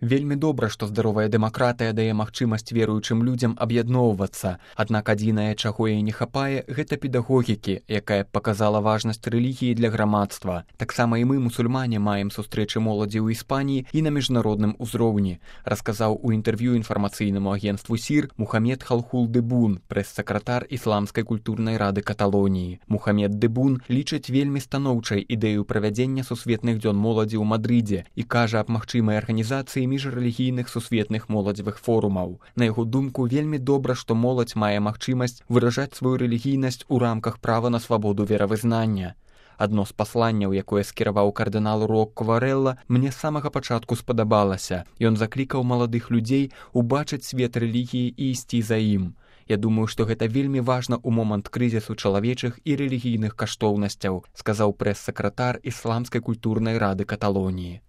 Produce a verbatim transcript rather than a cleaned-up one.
Вельмі добра, што здаровая дэмакратыя дае магчымасць веруючым людзям аб'ядноўвацца, аднак адзінае, чаго яе не хапае, гэта педагогікі, якая б паказала важнасць рэлігіі для грамадства. Таксама і мы, мусульмане, маем сустрэчы моладзі ў Іспаніі і на міжнародным узроўні, расказаў у інтэрв'ю інфармацыйнаму агенцтву СІР Мухамед Халхул Дэбун, прэс-сакратар Ісламскай культурнай рады Каталоніі. Мухамед Дэбун лічыць вельмі станоўчай ідэю правядзення сусветных дзён моладзі ў Мадрыдзе і кажа аб магчымай арганізацыі міжрэлігійных сусветных моладзевых форумаў. На яго думку, вельмі добра, што моладзь мае магчымасць выражаць сваю рэлігійнасць у рамках права на свабоду веравызнання. Адно з пасланняў, якое скіраваў кардынал Рок Варэлла, мне з самага пачатку спадабалася. Ён заклікаў маладых людзей убачыць свет рэлігіі і ісці за ім. Я думаю, што гэта вельмі важна ў момант крызісу чалавечых і рэлігійных каштоўнасцяў, сказаў прэс-сакратар Ісламскай культурнай рады Каталоніі.